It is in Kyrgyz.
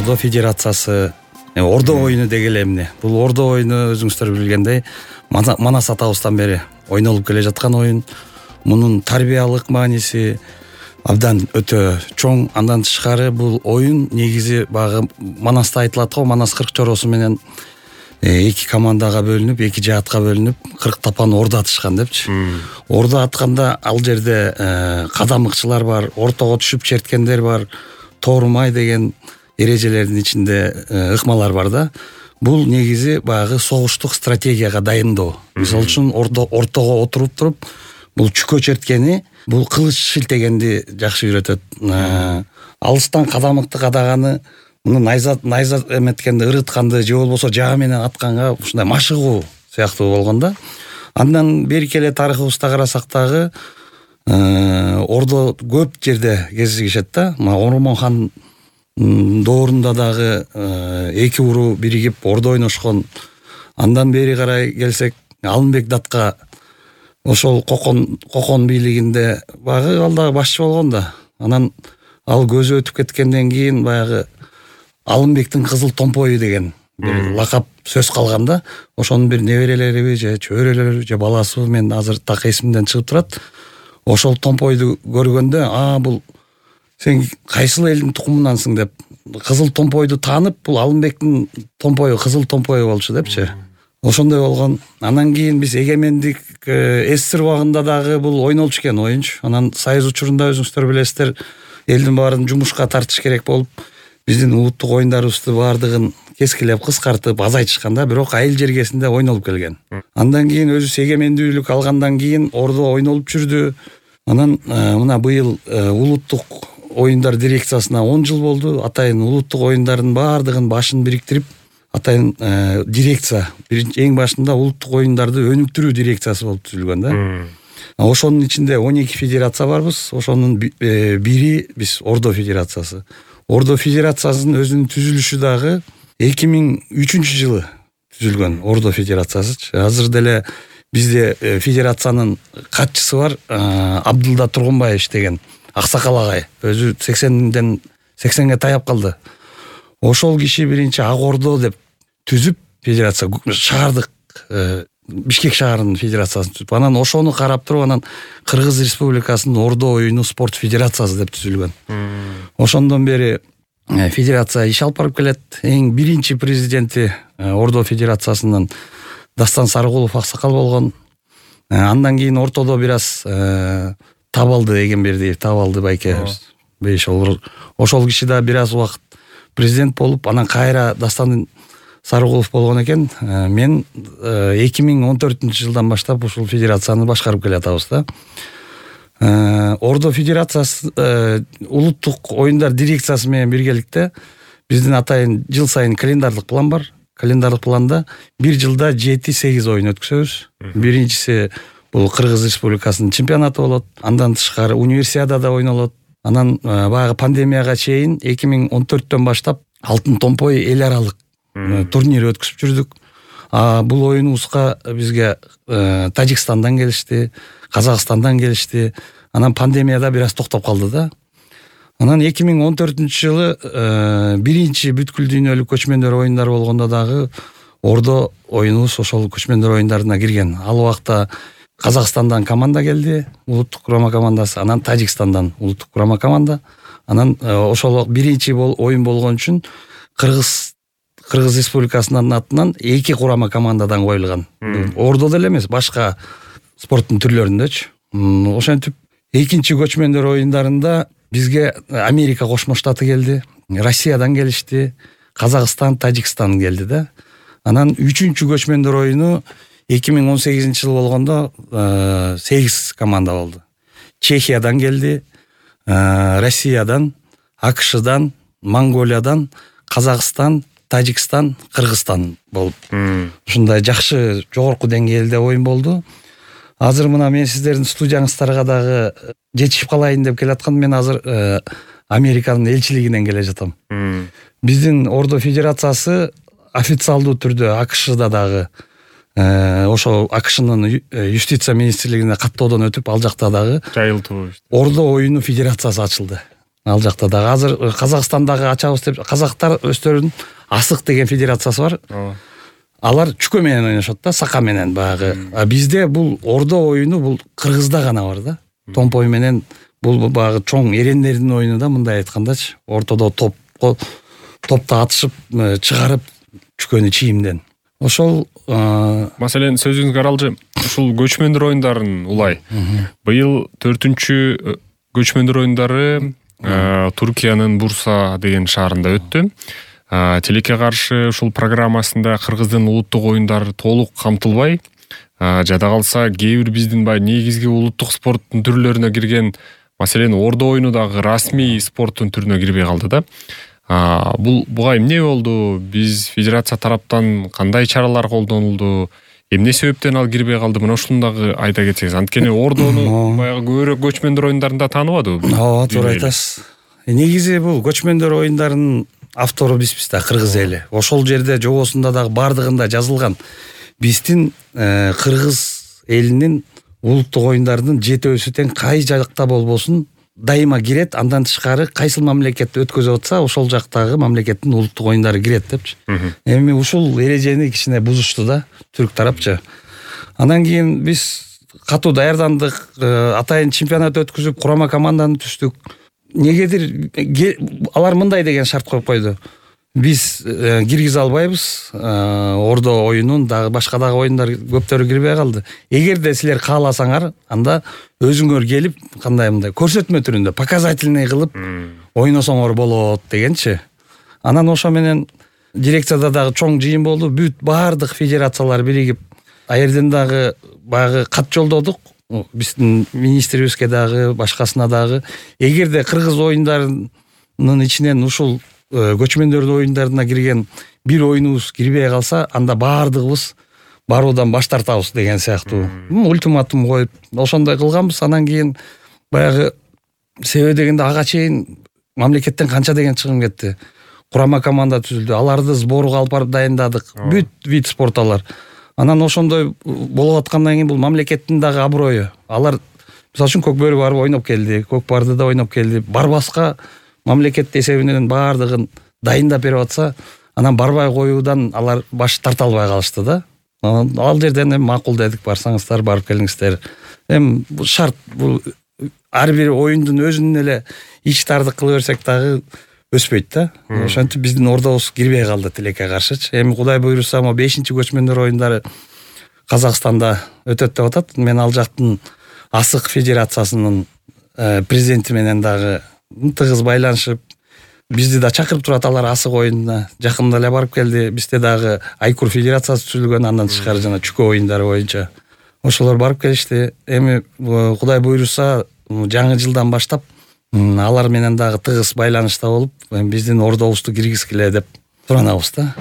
Ордо Федерациясы Ордо оюну деги эле эмне? Бул Ордо оюну өзүңүздөр билгендей Манас атабыздан бери ойнолуп келе жаткан оюн. Мунун тарбиялык мааниси абдан өтө чоң. Андан тышкары бул оюн негизи багы Манаста айтылат го, Манас 40 чороосу менен эки командага бөлүнүп, эки жаатка бөлүнүп 40 тапан ордо атышкан депчи. Ордо атканда ал жерде кадамыкчылар бар, ортого түшүп черткендер бар, тоорумай деген эрежелердин ичинде ыкмалар бар да. Бул негизи баягы согуштук стратегияга дайындоо. Мисалы үчүн ортого отуруп туруп, бул чүкө черткени, бул кылыч шилтегенди жакшы үйрөтөт. Алыстан кадамыкты кадаганы, муну найза эметкенди, ырытканды же болбосо жаа менен атканга ушундай машыгуу сыяктуу болгон да. Андан берки эле тарыхыбызда карасак дагы ордо көп жерде кезигишет да. Ормон хан доорунда дагы эки уруу биригип ордо ойношкон. Андан бери карай келсек, Алымбек Датка ошол Кокон бийлигинде багы ал дагы башчы болгон да. Анан ал көзү өтүп кеткенден кийин баягы Алымбектин кызыл томпою деген бир лакап сөз калган да. Ошонун бир неберелериби же чөйрөлөрү же баласы, мен азыр так эсимден чыгып турат. Ошол томпойду көргөндө, бул сен кайсыл элдин тукумунансың деп кызыл томпойду таанып, бул Алымбектин томпою, кызыл томпою болчу депчи. Ошондой болгон. Анан кийин биз эгемендик СССР убагында дагы бул ойнолчу экен оюнчу. Анан Союз учурунда өзүңүздөр билесиздер, элдин баарын жумушка тартыш керек болуп, биздин улуттук оюндарыбызды баардыгын кескилеп, кыскартып, азайтышкан да, бирок айыл жергесинде ойнолуп келген. Андан кийин өзү эгемендүүлүк алгандан кийин ордо ойнолуп жүрдү. Анан мына быйыл улуттук оюндар дирекциясына 10 жыл болду. Атайын улуттук оюндардын баардыгын башын бириктирип, атайын дирекция, эң башында улуттук оюндарды өнүктүрүү дирекциясы болуп түзүлгөн да. Ошонун ичинде 12 федерация барбыз. Ошонун бири биз Ордо Федерациясы. Ордо Федерациясынын өзүнүн түзүлүшү дагы 2003 жылы түзүлгөн Ордо Федерациясы. Азыр деле бизде федерациянын катчысы бар, Абдылда Тургунбаев деген аксакал агай. Өзү 80ге таяп калды. Ошол киши биринчи Ак Ордо деп түзүп, федерация шаардык Бишкек шаарынын федерациясын түзүп, анан ошону карап туруп, анан Кыргыз Республикасынын Ордо оюну спорт федерациясы деп түзүлгөн. Ошондон бери федерация иш алып барып келет. Эң биринчи президенти Ордо Федерациясынын Дастан Сарыгулов аксакал болгон. Андан кийин ортодо бир аз Табалды Эгембердиев, Табалды байке ошол киши да бир аз убакыт президент болуп, анан кайра Дастан Сарыгулов болгон экен. Мен 2014 жылдан баштап ушул федерацияны башкарып келатабыз да. Ордо Федерациясы улуттук оюндар дирекциясы менен биргеликте биздин атайын жыл сайын календарлык план бар. Календарлык планда бир жылда 7-8 оюн өткөзөбүз. Биринчиси бул Кыргыз Республикасынын чемпионаты болот. Андан тышкары универсиадада ойнолот. Анан баягы пандемияга чейин 2014төн баштап Алтын томпой эл аралык турнир өткүзүп жүрдүк. Бул оюнубузга бизге Тажикстандан келишти, Казакстандан келишти. Анан пандемияда бир аз токтоп калды да. Анан 2014 жылы биринчи бүткүл дүйнөлүк көчмөндөр оюндары болгондо дагы Ордо оюнубуз ошол көчмөндөр оюндарына кирген. Ал убакта Казакстандан команда келди, улуттук курама командасы, анан Тажикстандан улуттук курама команда. Анан ошол биринчи оюн болгон үчүн Кыргыз Республикасынын атынан 2 курама командадан коюлган. Ордо деле эмес, башка спорттун түрлөрүндөчү. Ошентип экинчи көчмөндөр оюндарында бизге Америка Кошмо Штаты келди, Россиядан келишти, Казакстан, Тажикстан келди да. Анан үчүнчү көчмөндөр оюну 2018 жыл болгондо 8 команда болду. Чехиядан келди, Россиядан, АКШдан, Монголиядан, Казакстан, Тажикстан, Кыргызстан болуп. Ушундай жакшы жогорку деңгээлде оюн болду. Азыр мына мен сиздердин студияңыздарга дагы жетишип калайын деп келаткан. Мен азыр Американын элчилигинен келе жатам. Биздин Ордо Федерациясы официалдуу түрдө АКШда дагы ошо АКШнын юстиция министрлигине каттоодон өтүп, ал жакта дагы жайылтуу Ордо оюну федерациясы ачылды. Ал жакта дагы азыр Казакстандагы ачабыз деп казактар өздөрүнүн асык деген федерациясы бар. Алар чүкө менен ойношот да, сака менен багы. А бизде бул ордо оюну бул кыргызда гана бар да. Томпой менен бул багы чоң эрендердин оюну да, мындай айткандачы. Ортодо топто атышып чыгарып чүкөнү чийимден. Ошол Маселен, сөзүңүзгө аралжы, ушул көчмөндөр оюндарын улай. Быйыл 4-чү көчмөндөр оюндары Туркиянын Бурса деген шаарында өттү. Тилекке каршы ушул программасында кыргыздын улуттук оюндары толук камтылбай, жада калса кээ бир биздин негизги улуттук спорттун түрлөрүнө кирген, маселен, ордо оюну дагы расмий спорттун түрүнө кирбей калды да. Буга эмне болду? Биз федерация тараптан кандай чаралар колдонулду? Эмне себептен ал кирбей калды? Мына ушуну дагы айта кетсеңиз. Анткени ордону баягы көбүрөөк көчмөндөр оюндарында тааныбадыбы? Ооба, туура айтасыз. Негизи бул көчмөндөр оюндарынын автору бизбиз да, кыргыз эли. Ошол жерде жобосунда дагы бардыгында жазылган. Биздин кыргыз элинин улуттук оюндардын жетөөсү тең кай жакта болбосун дайыма кирет, андан тышкары кайсыл мамлекетти өткөзүп атса, ошол жактагы мамлекеттин улуттук оюндары кирет депчи. Эми ушул эрежени кичине бузушту да түрк тарапчы. Андан кийин биз катуу даярдандык, атайын чемпионат өткүзүп, курама команданы түздүк. Негедир алар мындай деген шарт коюп койду. Биз киргизе албайбыз, ордо оюнун дагы башка дагы оюндар көптөрү кирбей калды. Эгерде силер кааласаңар, анда өзүңөр келип, кандай мындай көрсөтмө түрүндө, показательный кылып ойносоңор болот дегенчи. Анан ошо менен дирекцияда дагы чоң жыйын болду. Бүт баардык федерациялар биригип, аерден дагы баягы кат жолдодук. Биздин министрибизге дагы, башкасына дагы. Эгерде кыргыз оюндарынын ичинен ушул көчмөндөрдүн оюндарына кирген бир оюнубуз кирбей калса, анда баардыгыбыз баруудан баш тартабыз деген сыяктуу ультиматум коюп, ошондой кылганбыз. Анан кийин баягы себеби дегенде ага чейин мамлекеттен канча деген чыгым кетти. Курама команда түзүлдү. Аларды сборго алып барып дайындадык. Бүт вид спортталар. Анан ошондой болуп аткандан кийин бул мамлекеттин дагы аброю. Алар мисалы үчүн Көкбөрү барып ойноп келди, Көкпардыда ойноп келди. Барбаска мамлекет эсебинен баардыгын дайындап берип атса, анан барбай коюудан алар баш тарта албай калышты да. Ал жерден эми макул дедик, барсаңыздар, барып келиңиздер. Эми бул шарт, бул ар бир оюндун өзүнүн эле ичтардык кыла берсек дагы өспөйт да. Ошентип биздин ордобуз кирбей калды тилекке каршычы. Эми Кудай буйруса, 5-чи көчмөндөр оюндары Казакстанда өтөт деп атат. Мен ал жактын асык федерациясынын президенти менен дагы тыгыз байланышып, бизди да чакырып турат алар асык оюнуна. Жакында эле барып келди. Бизде дагы Айкур федерациясы түзүлгөн, андан тышкары жана чүкө оюндары боюнча. Ошолор барып келишти. Эми Кудай буйруса, жаңы жылдан баштап алар менен дагы тыгыз байланышта болуп, биздин ордобузду киргизгиле деп суранабыз да.